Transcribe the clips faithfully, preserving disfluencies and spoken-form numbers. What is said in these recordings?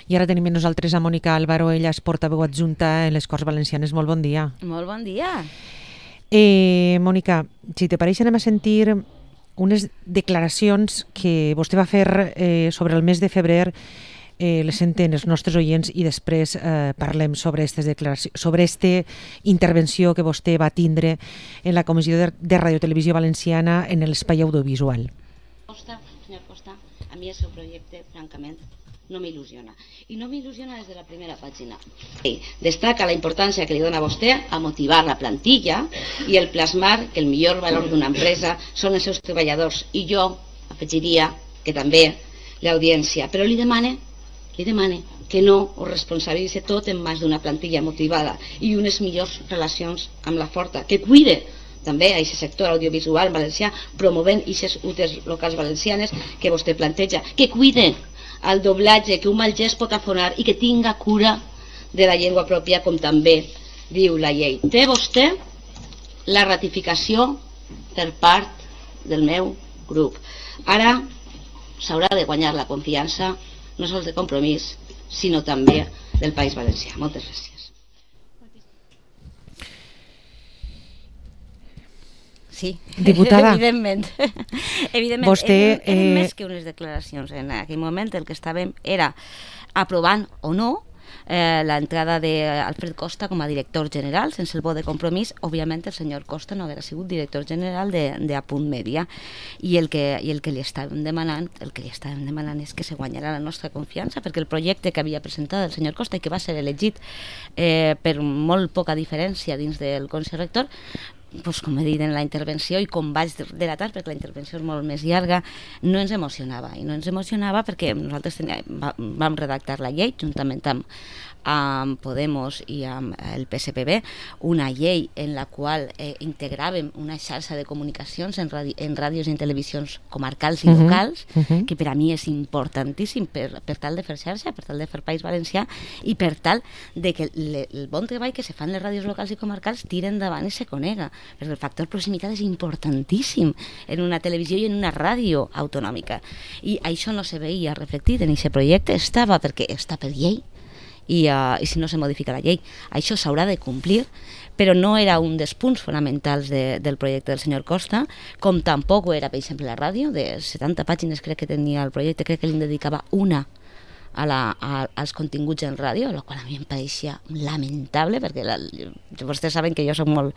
I ara tenim amb nosaltres a Mònica Álvaro, ella és portaveu adjunta en les Corts Valencianes. Molt bon dia. Molt bon dia. Eh, Mònica, si te pareix anem a sentir unes declaracions que vostè va fer eh, sobre el mes de febrer. Eh, les senten els nostres oients i després eh, parlem sobre aquestes declaracions, sobre aquesta intervenció que vostè va tindre en la Comissió de, de Radiotelevisió Valenciana en l'espai audiovisual. Costa, senyor Costa, a mi el seu projecte, francament, no m'il·lusiona. I no m'il·lusiona des de la primera pàgina. Destaca la importància que li dona a vostè a motivar la plantilla i el plasmar que el millor valor d'una empresa són els seus treballadors. I jo afegiria que també l'audiència. Però li demane, li demane que no ho responsabilitzi tot en mans d'una plantilla motivada i unes millors relacions amb la forta, que cuide també a aquest sector audiovisual valencià, promovent aquestes utes locals valencianes que vostè planteja, que cuide el doblatge, que un mal gest pot afonar i que tinga cura de la llengua pròpia, com també diu la llei. Té vostè la ratificació per part del meu grup. Ara s'haurà de guanyar la confiança, no sols de Compromís, sinó també del País Valencià. Moltes gràcies. Sí, diputada, evidentment. Evidentment, vostè, eren, eren eh... més que unes declaracions. En aquell moment el que estàvem era aprovant o no eh, l'entrada d'Alfred Costa com a director general, sense el vot de Compromís. Òbviament el senyor Costa no haguera sigut director general de, de Apunt Mèdia, i el que, i el que li estàvem demanant el que li estàvem demanant és que se guanyarà la nostra confiança, perquè el projecte que havia presentat el senyor Costa i que va ser elegit eh, per molt poca diferència dins del Consell Rector, pues, com he dit en la intervenció i com vaig delatar, perquè la intervenció és molt més llarga, no ens emocionava. I no ens emocionava perquè nosaltres teníem, vam redactar la llei juntament amb, amb Podemos i amb el P S P B, una llei en la qual eh, integràvem una xarxa de comunicacions en, radi en ràdios i en televisions comarcals i locals, uh -huh. Uh -huh. que per a mi és importantíssim per, per tal de fer xarxa, per tal de fer País Valencià i per tal de que le, el bon treball que se fan les ràdios locals i comarcals tiren endavant i se conega, perquè el factor proximitat és importantíssim en una televisió i en una ràdio autonòmica. I això no se veia reflectit en aquest projecte, estava perquè està per llei, I, uh, i si no se modifica la llei això s'haurà de complir, però no era un dels punts fonamentals de, del projecte del senyor Costa, com tampoc ho era, per exemple, la ràdio. De setanta pàgines crec que tenia el projecte, crec que li dedicava una a la, a, als continguts en ràdio, el qual a mi em pareixia lamentable, perquè la, vostès saben que jo soc molt,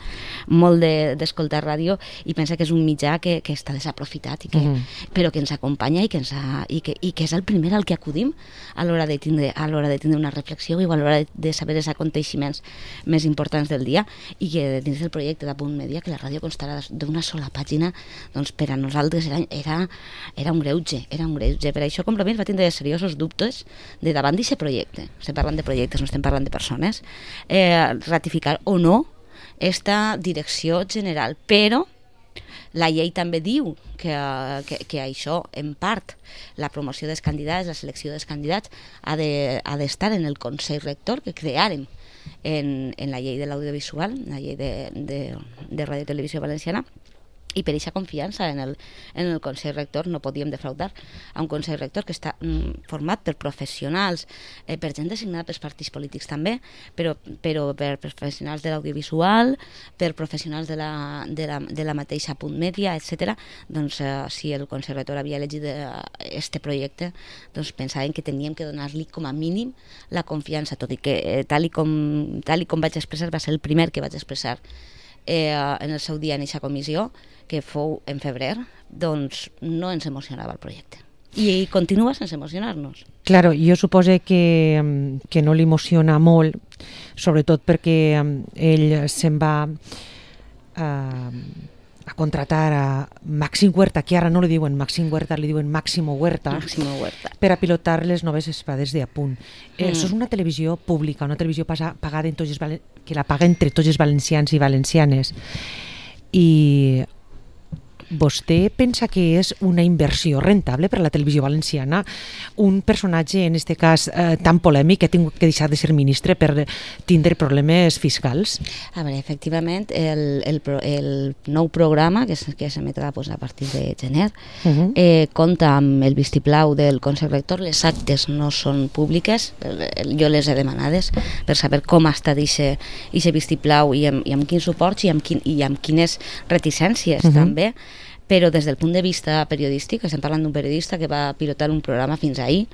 molt d'escoltar de, ràdio i pensa que és un mitjà que, que està desaprofitat, i que, uh -huh. però que ens acompanya i que, ens ha, i, que, i que és el primer al que acudim a l'hora de tindre, a l'hora de tindre una reflexió i a l'hora de, de saber els aconteixements més importants del dia, i que dins del projecte d'Apunt Mèdia que la ràdio constarà d'una sola pàgina, doncs per a nosaltres era, era, era un greuge, era un greuge. Per això Compromís va tindre seriosos dubtes de davant d'aquest projecte. Estem parlant de projectes, no estem parlant de persones, eh, ratificar o no esta direcció general, però la llei també diu que, que, que això, en part, la promoció dels candidats, la selecció dels candidats, ha d'estar de, en el Consell Rector que creàrem en, en la llei de l'audiovisual, la llei de, de, de Ràdio i Televisió Valenciana, i per aquesta confiança en el, en el Consell Rector no podíem defraudar a un Consell Rector que està mm, format per professionals, eh, per gent designada pels partits polítics també, però, però per professionals de l'audiovisual, per professionals de la, de la, de la mateixa Punt Mèdia, etcètera. Doncs eh, si el Consell Rector havia elegit aquest projecte, doncs pensàvem que teníem que donar-li com a mínim la confiança, tot i que eh, tal, i com, tal i com vaig expressar, va ser el primer que vaig expressar eh, en el seu dia en aquesta comissió, que fou en febrer, doncs no ens emocionava el projecte. I continua sense emocionar-nos. Claro, jo suposo que, que no l'emociona molt, sobretot perquè ell se'n va a, a contratar a Màxim Huerta, que ara no li diuen Màxim Huerta, li diuen Máximo Huerta, Máximo Huerta, per a pilotar les noves espades de Apunt. Eh, mm. Això és una televisió pública, una televisió pagada en tots els, que la paga entre tots els valencians i valencianes. I vostè pensa que és una inversió rentable per a la televisió valenciana un personatge, en aquest cas, eh, tan polèmic que ha tingut que deixar de ser ministre per tindre problemes fiscals? A veure, efectivament, el, el, el nou programa, que, que s'emetrà pues, a partir de gener, uh -huh. eh, compta amb el vistiplau del Consell Rector. Les actes no són públiques, jo les he demanades per saber com està aquest vistiplau i amb, i amb quins suports i amb, quin, i amb quines reticències uh -huh. també, però des del punt de vista periodístic, estem parlant d'un periodista que va pilotar un programa fins ahir,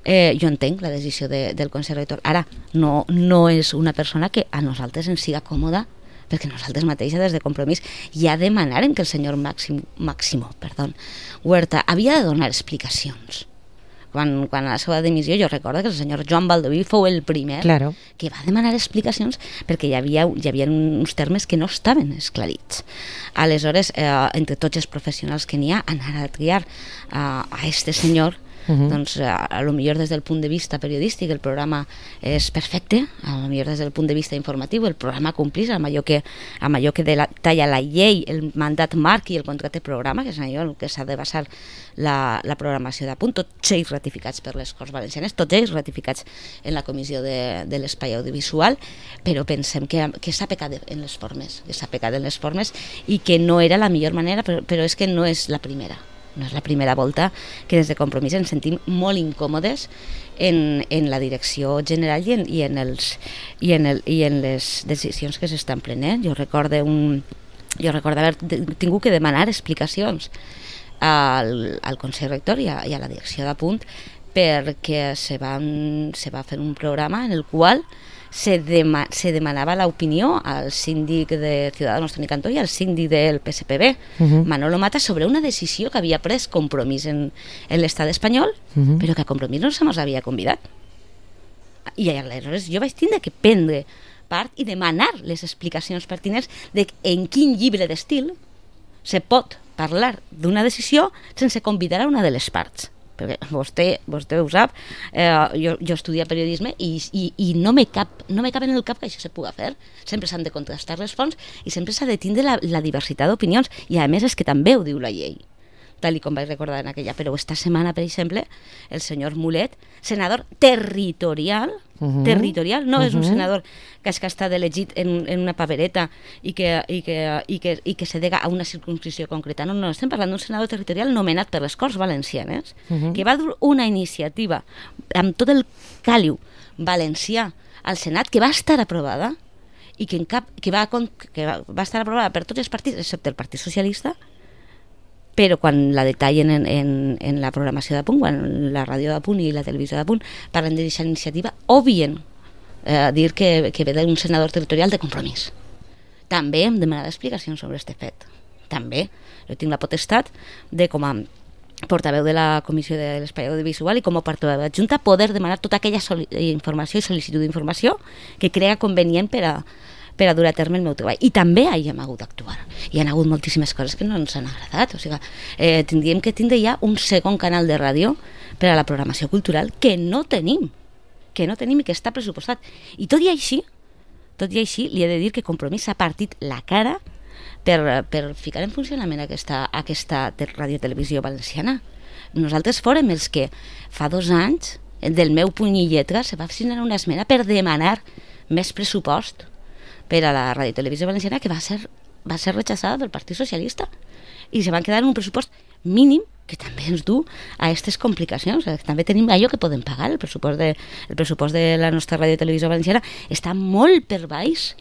eh, jo entenc la decisió de, del Consell Rector. Ara, no, no és una persona que a nosaltres ens siga còmoda, perquè nosaltres mateixes des de Compromís ja demanaren que el senyor Màximo, Máximo perdó, Huerta havia de donar explicacions. Quan, quan a la seva dimissió jo recordo que el senyor Joan Baldoví fou el primer claro. que va demanar explicacions perquè hi havia, hi havia uns termes que no estaven esclarits. Aleshores, eh, entre tots els professionals que n'hi ha, anar a triar eh, a este senyor, uh-huh. doncs a, a lo millor des del punt de vista periodístic el programa és perfecte, a lo millor des del punt de vista informatiu el programa complís amb allò que, amb allò que de la, talla la llei, el mandat marc i el contracte programa, que és allò en què s'ha de basar la, la programació de punt, tots ells ratificats per les Corts Valencianes, tots ells ratificats en la comissió de, de l'espai audiovisual, però pensem que, que s'ha pecat en les formes, que s'ha pecat en les formes i que no era la millor manera, però, però és que no és la primera. No és la primera volta que des de Compromís ens sentim molt incòmodes en, en la direcció general i en, i en, els, i en, el, i en les decisions que s'estan prenent. Jo recordo, un, jo recordo haver tingut que demanar explicacions al, al Consell Rector i a, i a la direcció de Punt perquè se, van, se va fer un programa en el qual se, dema, se demanava l'opinió al síndic de Ciudadanos Toni Cantó i al síndic del P S P B, uh-huh. Manolo Mata, sobre una decisió que havia pres Compromís en, en l'estat espanyol, uh-huh. però que a Compromís no se mos havia convidat. I aleshores jo vaig tindre que prendre part i demanar les explicacions pertinents de en quin llibre d'estil se pot parlar d'una decisió sense convidar a una de les parts. Perquè vostè, vostè ho sap, eh, jo, jo estudia periodisme i, i, i no, me cap, no me cap en el cap que això se pugui fer. Sempre s'han de contrastar les fonts i sempre s'ha de tindre la, la diversitat d'opinions i a més és que també ho diu la llei, tal com vaig recordar en aquella. Però esta setmana, per exemple, el senyor Mulet, senador territorial, uh-huh. territorial, no uh-huh. és un senador que és que ha estat elegit en, en una papereta i que, i, que, i, que, i que se dega a una circunscripció concreta. No, no, estem parlant d'un senador territorial nomenat per les Corts Valencianes, uh-huh. que va dur una iniciativa amb tot el càliu valencià al Senat que va estar aprovada i que, en cap, que, va, que va, va estar aprovada per tots els partits, excepte el Partit Socialista, però quan la detallen en, en, en la programació de Punt, quan la ràdio de Punt i la televisió de Punt parlen d'aquesta iniciativa, obvien eh, dir que, que ve d'un senador territorial de Compromís. També hem demanat explicacions sobre aquest fet. També. Jo tinc la potestat de, com a portaveu de la Comissió de l'Espai Audiovisual i com a portaveu adjunta, poder demanar tota aquella informació i sol·licitud d'informació que crea convenient per a per a dur a terme el meu treball. I també hi hem hagut d'actuar. Hi ha hagut moltíssimes coses que no ens han agradat. O sigui, eh, tindríem que tindre ja un segon canal de ràdio per a la programació cultural que no tenim, que no tenim i que està pressupostat. I tot i així, tot i així, li he de dir que Compromís s'ha partit la cara per, per ficar en funcionament aquesta, aquesta radiotelevisió valenciana. Nosaltres fórem els que fa dos anys, del meu puny i lletra, se va signar una esmena per demanar més pressupost per a la radiotelevisió valenciana que va ser, va ser rechazada pel Partit Socialista i se van quedar en un pressupost mínim que també ens du a aquestes complicacions. També tenim allò que podem pagar. El pressupost de, el pressupost de la nostra radiotelevisió valenciana està molt per baix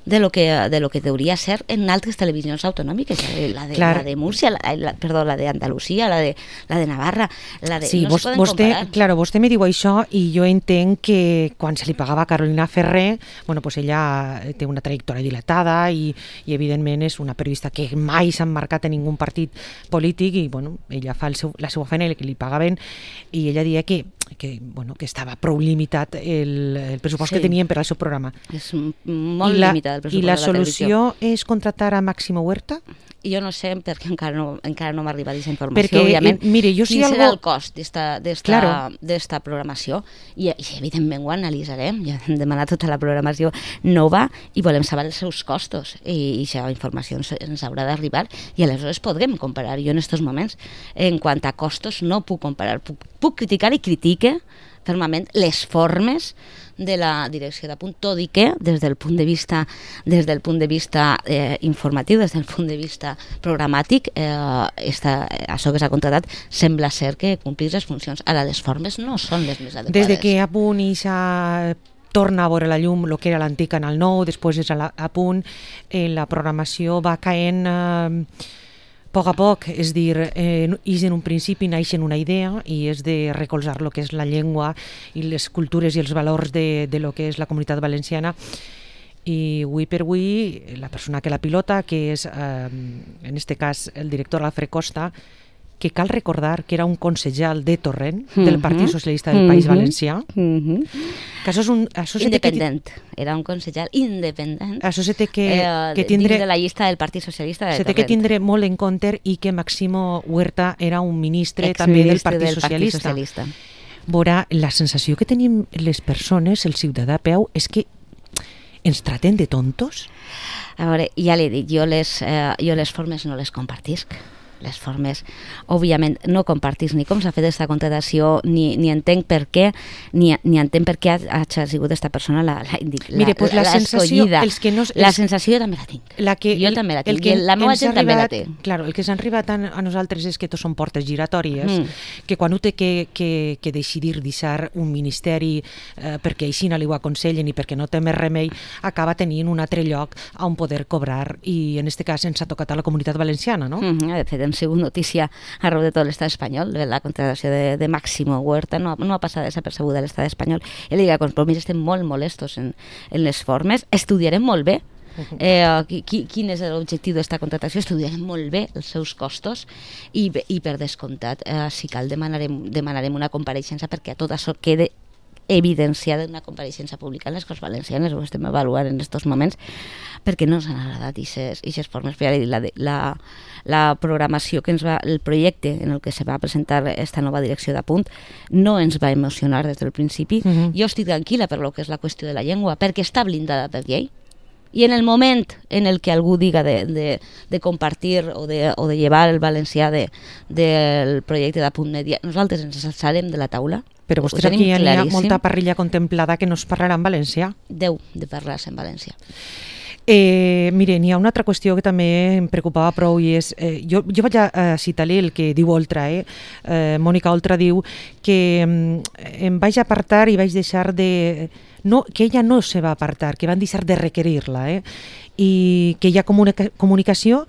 de lo que de lo que hauria ser en altres televisions autonòmiques, la de, la de Múrcia, la, la, perdó, la de Andalusia, la de, la de Navarra, la de... Sí, no vos, se poden vostè, comparar. claro, vostè me diu això i jo entenc que quan se li pagava a Carolina Ferrer, bueno, pues ella té una trajectòria dilatada i, i evidentment és una periodista que mai s'ha marcat en ningú partit polític i bueno, ella fa el seu, la seva feina i que li pagaven i ella deia que que, bueno, que estava prou limitat el, el pressupost sí. que tenien per al seu programa. És molt I la, limitat. del pressupost I la de la televisió. solució és contractar a Máximo Huerta? Jo no sé, perquè encara no, encara no m'ha arribat aquesta informació, perquè, òbviament. Eh, mire, jo si Quin algo... serà el cost d'esta claro. programació? I, I, evidentment, ho analitzarem. Ja hem demanat tota la programació nova i volem saber els seus costos. I, i aquesta informació ens, ens haurà d'arribar i aleshores podrem comparar. Jo en aquests moments, en quant a costos, no puc comparar. Puc, puc criticar i critique fermament les formes de la direcció de Punt, tot i que des del punt de vista des del punt de vista eh, informatiu, des del punt de vista programàtic, eh, esta, això que s'ha contratat sembla ser que complís les funcions. Ara, les formes no són les més adequades. Des de que a Punt i s'ha torna a veure la llum el que era l'antic Canal nou, després és a, la, a Punt, eh, la programació va caent eh, a poc a poc, és dir, eh, és en un principi naixen una idea i és de recolzar el que és la llengua i les cultures i els valors de, de lo que és la comunitat valenciana, i avui per avui la persona que la pilota, que és eh, en este cas el director Alfred Costa, que cal recordar que era un concejal de Torrent, mm-hmm. del Partit Socialista del País mm-hmm. Valencià, mm-hmm. que això és un... Això independent, que... era un concejal independent. Això se té que, eh, que tindre... dins de la llista del Partit Socialista de se Torrent. Se té que tindre molt en compte i que Máximo Huerta era un ministre també del Partit del Socialista. Partit Socialista. Veurà, la sensació que tenim les persones, el ciutadà a peu, és que ens traten de tontos. A veure, ja l'he dit, jo les, eh, jo les formes no les compartisc. Les formes, òbviament, no compartís ni com s'ha fet aquesta contratació, ni, ni entenc per què, ni, ni entenc per què ha, ha sigut aquesta persona la, la, la, Mire, pues la, la sensació, els que no, els, la sensació jo també la tinc. La que, jo també la tinc, el que i la meva gent arribat, també la té. Claro, el que s'ha arribat a, a nosaltres és que tots són portes giratòries, mm. que quan ho té que, que, que decidir deixar un ministeri eh, perquè així no li ho aconsellen i perquè no té més remei, acaba tenint un altre lloc on poder cobrar, i en aquest cas ens ha tocat a la comunitat valenciana, no? Mm-hmm, de fet, hem sigut notícia arreu de tot l'estat espanyol, la contratació de, de Máximo Huerta no, no ha passat desapercebuda a l'estat espanyol. I la Lliga Compromís estem molt molestos en, en les formes, estudiarem molt bé eh, qui, quin és l'objectiu d'aquesta contratació, estudiarem molt bé els seus costos i, i per descomptat, eh, si cal demanarem, demanarem una compareixença perquè a tot això quede evidenciada una compareixença pública en les Corts Valencianes, ho estem avaluant en aquests moments, perquè no ens han agradat aquestes formes. Però ja he dit, la, la, la programació que ens va, el projecte en el que se va presentar esta nova direcció de Punt no ens va emocionar des del principi. Uh-huh. Jo estic tranquil·la per lo que és la qüestió de la llengua, perquè està blindada per llei. I en el moment en el que algú diga de, de, de compartir o de, o de llevar el valencià de, del projecte de Punt Media, nosaltres ens alçarem de la taula. Però vostès aquí ja hi ha molta parrilla contemplada que no es parlarà en valencià. Deu de parlar-se en valencià. Eh, mire, n'hi ha una altra qüestió que també em preocupava prou i és, eh, jo, jo vaig a, a citar-li el que diu Oltra, eh? eh Mònica Oltra diu que eh, em vaig apartar i vaig deixar de... No, que ella no se va apartar, que van deixar de requerir-la, eh? I que hi ha comunica comunicació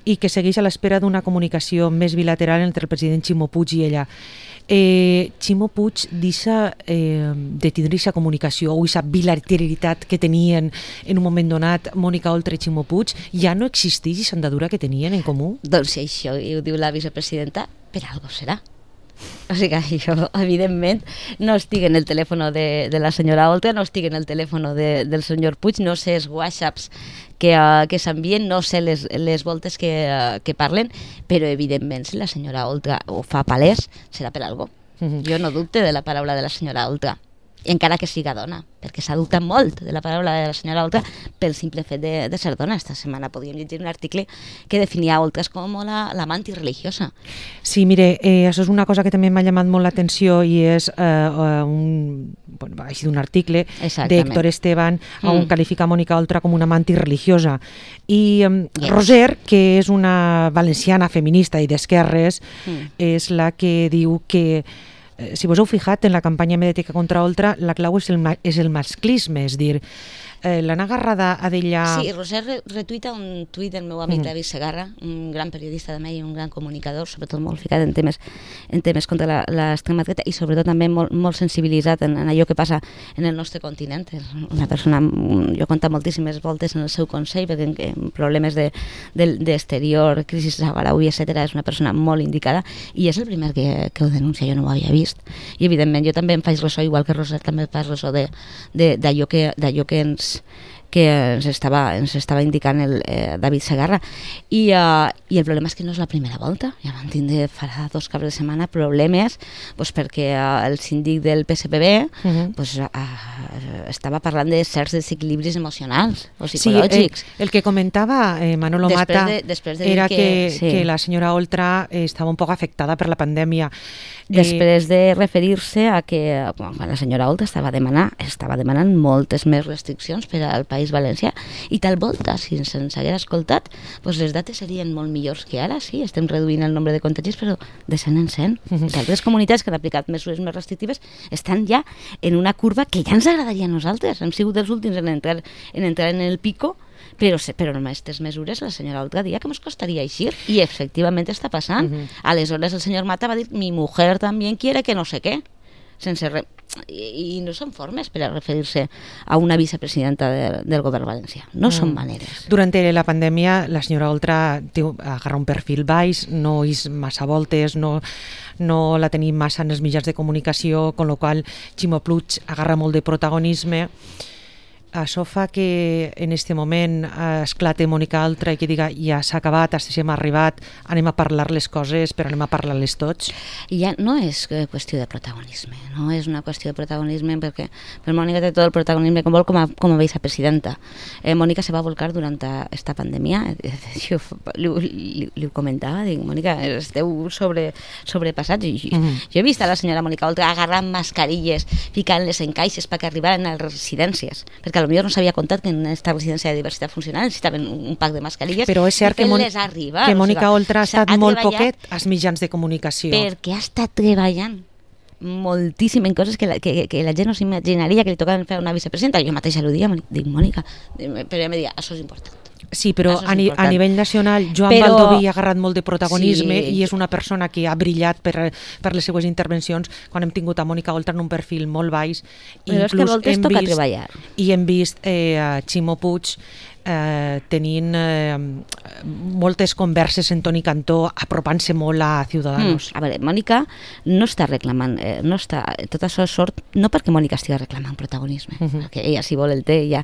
i que segueix a l'espera d'una comunicació més bilateral entre el president Ximo Puig i ella. Eh, Ximo Puig deixa eh, de tindre aquesta comunicació o aquesta bilateralitat que tenien en un moment donat Mònica Oltra i Ximo Puig, ja no existeix aquesta andadura que tenien en comú? Doncs si això ho diu la vicepresidenta, per algo serà. O sigui que jo, evidentment, no estic en el telèfon de, de la senyora Oltra, no estic en el telèfon de, del senyor Puig, no sé els whatsapps que, uh, que s'envien, no sé les, les voltes que, uh, que parlen, però evidentment si la senyora Oltra ho fa palès, serà per algo. Mm-hmm. Jo no dubte de la paraula de la senyora Oltra, encara que siga dona, perquè s'ha dubtat molt de la paraula de la senyora Oltra pel simple fet de, de ser dona. Esta setmana podíem llegir un article que definia Oltra com la, la manti religiosa. Sí, mire, eh, això és una cosa que també m'ha llamat molt l'atenció i és eh, un, bueno, va així d'un article d'Héctor Esteban mm. on qualifica Mònica Oltra com una manti religiosa. I eh, yes. Roser, que és una valenciana feminista i d'esquerres, mm. és la que diu que si vos heu fijat, en la campanya mediàtica contra Oltra, la clau és el, és el masclisme, és dir, eh, l'han agarrada a d'ella... Sí, Roser retuita un tuit del meu amic mm. David Segarra, un gran periodista de Medi, un gran comunicador, sobretot molt ficat en temes, en temes contra l'extrema dreta i sobretot també molt, molt sensibilitzat en, en allò que passa en el nostre continent. És una persona, jo conta moltíssimes voltes en el seu consell, perquè en, en problemes d'exterior, de, crisi saharaui, etcètera, és una persona molt indicada i és el primer que, que ho denuncia, jo no ho havia vist. I evidentment jo també em faig ressò, igual que Roser també em faig ressò d'allò que, que ens que ens estava, ens estava indicant el eh, David Segarra. I, uh, I el problema és que no és la primera volta. Ja vam tindre farà dos caps de setmana problemes pues, perquè uh, el síndic del P S P B uh-huh. pues, uh, estava parlant de certs desequilibris emocionals o psicològics. Sí, el, el que comentava eh, Manolo després Mata de, després de era que, que, sí. que la senyora Oltra eh, estava un poc afectada per la pandèmia. Després de referir-se a que quan la senyora Oltra estava, demanar, estava demanant moltes més restriccions per al País Valencià i tal volta, si se'ns hagués escoltat, doncs les dates serien molt millors que ara, sí, estem reduint el nombre de contagis, però de cent en cent. Uh-huh. Altres comunitats que han aplicat mesures més restrictives estan ja en una curva que ja ens agradaria a nosaltres. Hem sigut els últims en entrar en, entrar en el pico, però, però amb aquestes mesures la senyora Oltra dia que ens costaria eixir i efectivament està passant. Uh-huh. Aleshores el senyor Mata va dir mi mujer també quiere que no sé què, sense re... I, i no són formes per a referir-se a una vicepresidenta de, del govern valencià, no mm. són maneres. Durant la pandèmia la senyora Oltra té, agarra un perfil baix, no és massa voltes, no, no la tenim massa en els mitjans de comunicació, con lo qual Ximo Puig agarra molt de protagonisme. Això fa que en aquest moment esclate Mònica Oltra i que diga ja s'ha acabat, hasta si hem arribat, anem a parlar les coses, però anem a parlar-les tots. I ja no és qüestió de protagonisme, no és una qüestió de protagonisme perquè per Mònica té tot el protagonisme com vol com a, com a vicepresidenta. Eh, Mònica se va volcar durant esta pandèmia, jo li, li, li ho comentava, dic, Mònica, esteu sobre, sobrepassats. Jo, mm-hmm. jo he vist a la senyora Mònica Oltra agarrant mascarilles, ficant-les en caixes perquè arribaren a les residències, perquè potser no s'havia comptat que en aquesta residència de diversitat funcional necessitaven un pack de mascarilles. Però és cert que, Mon arribar, que Mònica Oltra ha estat ha molt poquet als mitjans de comunicació. Perquè ha estat treballant moltíssim en coses que la, que, que la gent no s'imaginaria que li tocaven fer una vicepresidenta. Jo mateixa ho dia, dic, Mònica, però ella em deia, això és important. Sí, però a, ni, a nivell nacional Joan però... Baldoví ha agarrat molt de protagonisme sí. i és una persona que ha brillat per, per les seues intervencions quan hem tingut a Mònica Oltra en un perfil molt baix. Però és que voltes toca vist, treballar. I hem vist eh, a Ximo Puig eh, tenint eh, moltes converses en Toni Cantó, apropant-se molt a Ciudadanos. Mm, a veure, Mònica no està reclamant, eh, no està, tot això sort no perquè Mònica estigui reclamant protagonisme, uh-huh. perquè ella si vol el té, ella,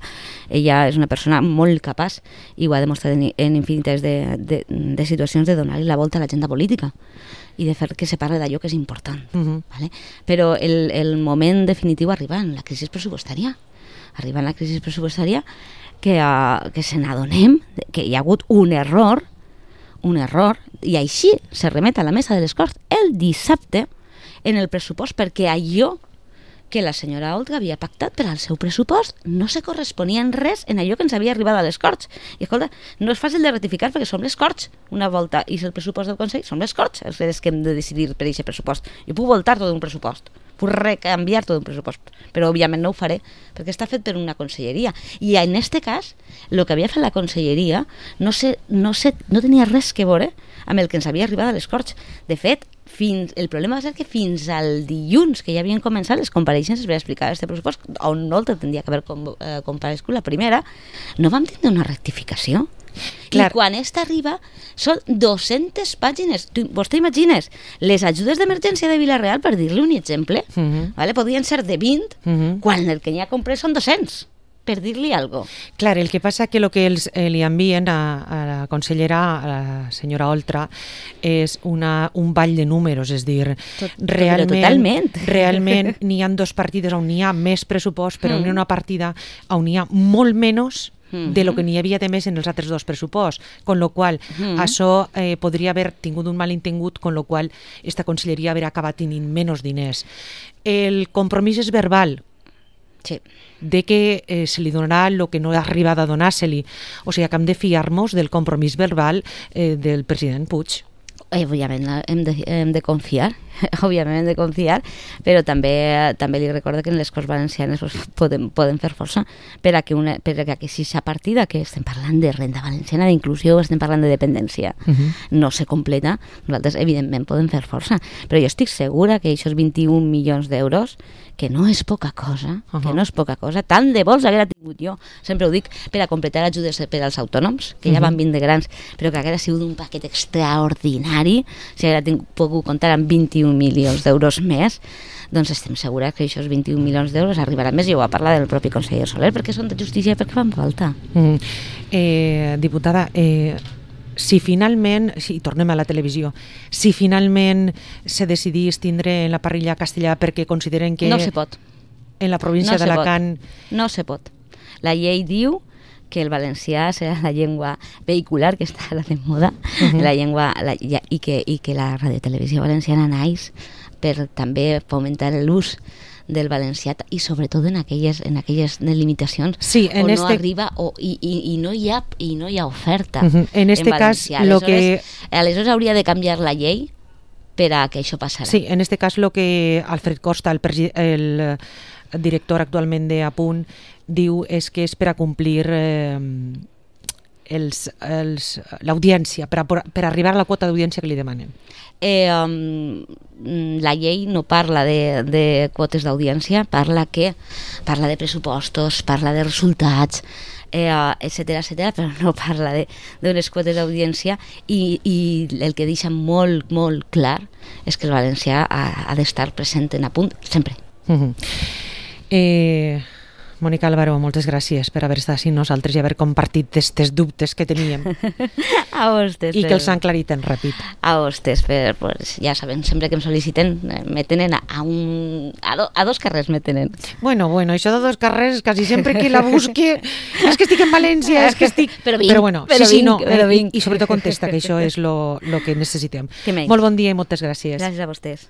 ella és una persona molt capaç i ho ha demostrat en, en infinites de, de, de situacions de donar-li la volta a l'agenda política i de fer que se parli d'allò que és important. Uh-huh. ¿Vale? Però el, el moment definitiu arriba en la crisi pressupostària. Arriba en la crisi pressupostària que, uh, que se n'adonem que hi ha hagut un error, un error, i així se remet a la mesa de les Corts el dissabte en el pressupost perquè allò que la senyora Oltra havia pactat per al seu pressupost no se corresponia en res en allò que ens havia arribat a les Corts. I escolta, no és fàcil de ratificar perquè som les Corts una volta i és el pressupost del Consell, som les Corts els que hem de decidir per aquest pressupost. Jo puc voltar tot un pressupost, puc recanviar tot un pressupost, però òbviament no ho faré perquè està fet per una conselleria. I en este cas, el que havia fet la conselleria no, sé, no, sé, no tenia res que veure amb el que ens havia arribat a les Corts. De fet, Fins, el problema va ser que fins al dilluns que ja havien començat les compareixences per explicar aquest pressupost, on no el tindria que haver com, eh, comparegut la primera, no vam tindre una rectificació. Clar. I quan esta arriba són dues-centes pàgines. Tu, vostè imagines, les ajudes d'emergència de Vila-real, per dir-li un exemple, uh-huh. ¿vale? Podrien ser de vint, uh-huh. quan el que n'hi ha comprat són dos-cents. Per dir-li alguna cosa. Clar, el que passa que el que els, eh, li envien a, a la consellera, a la senyora Oltra, és una, un ball de números, és dir, Tot, realment, realment n'hi ha dos partides on n'hi ha més pressupost, però mm. n'hi ha una partida on n'hi ha molt menys mm-hmm. de lo que n'hi havia de més en els altres dos pressuposts, con lo qual mm-hmm. això eh, podria haver tingut un malentengut, con lo qual esta conselleria haver acabat tenint menys diners. El compromís és verbal, sí. de que eh, se li donarà el que no ha arribat a donar-se-li. O sigui que hem de fiar-nos del compromís verbal eh, del president Puig. Eh, òbviament hem de, hem de confiar, òbviament hem de confiar, però també també li recordo que en les Corts Valencianes pues, poden, poden fer força per a que, una, per a que aquesta partida que estem parlant de renda valenciana, d'inclusió, estem parlant de dependència, uh-huh. no se completa, nosaltres evidentment podem fer força, però jo estic segura que aquests vint-i-un milions d'euros que no és poca cosa, uh -huh. que no és poca cosa, tant de vols haguera tingut jo, sempre ho dic, per a completar ajudes per als autònoms, que ja van vint de grans, però que haguera sigut un paquet extraordinari, si haguera tingut, pogut comptar amb vint-i-un milions d'euros més, doncs estem segures que aquests vint-i-un milions d'euros arribaran més, i ho va parlar del propi conseller Soler, perquè són de justícia i perquè fan falta. Mm. Eh, diputada, eh, si finalment, si tornem a la televisió, si finalment se decidís tindre en la parrilla castellà perquè consideren que... No se pot. En la província no d'Alacant... No se pot. La llei diu que el valencià serà la llengua vehicular, que està ara de moda, uh -huh. la llengua, la, i, que, i que la radiotelevisió valenciana naix per també fomentar l'ús del valencià i sobretot en aquelles, en aquelles limitacions sí, en on este... no arriba o, i, i, i, no hi ha, i no hi ha oferta. Uh -huh. En este en cas, lo lo que... aleshores hauria de canviar la llei per a que això passarà. Sí, en este cas lo que Alfred Costa, el, el director actualment de Apunt, diu és que és per a complir eh, l'audiència, per, a, per arribar a la quota d'audiència que li demanen. Eh, um, la llei no parla de, de quotes d'audiència, parla que parla de pressupostos, parla de resultats, eh, etcètera, etcètera, però no parla d'unes quotes d'audiència, i, i el que deixa molt, molt clar és que el valencià ha, ha d'estar present en Apunt sempre. Uh -huh. eh... Mònica Álvaro, moltes gràcies per haver estat amb nosaltres i haver compartit aquests dubtes que teníem. A vostès. I que els han aclarit tan ràpid. A vostès, per, pues, ja saben, sempre que em sol·liciten, me tenen a, un, a, do, a dos carrers me tenen. Bueno, bueno, això de dos carrers, quasi sempre que la busque, és que estic en València, és que estic... Però vinc, però bueno, però sí, sí, vinc, no, però eh, vinc. I, i sobretot contesta, que això és lo, lo que necessitem. Que Molt bon dia i moltes gràcies. Gràcies a vostès.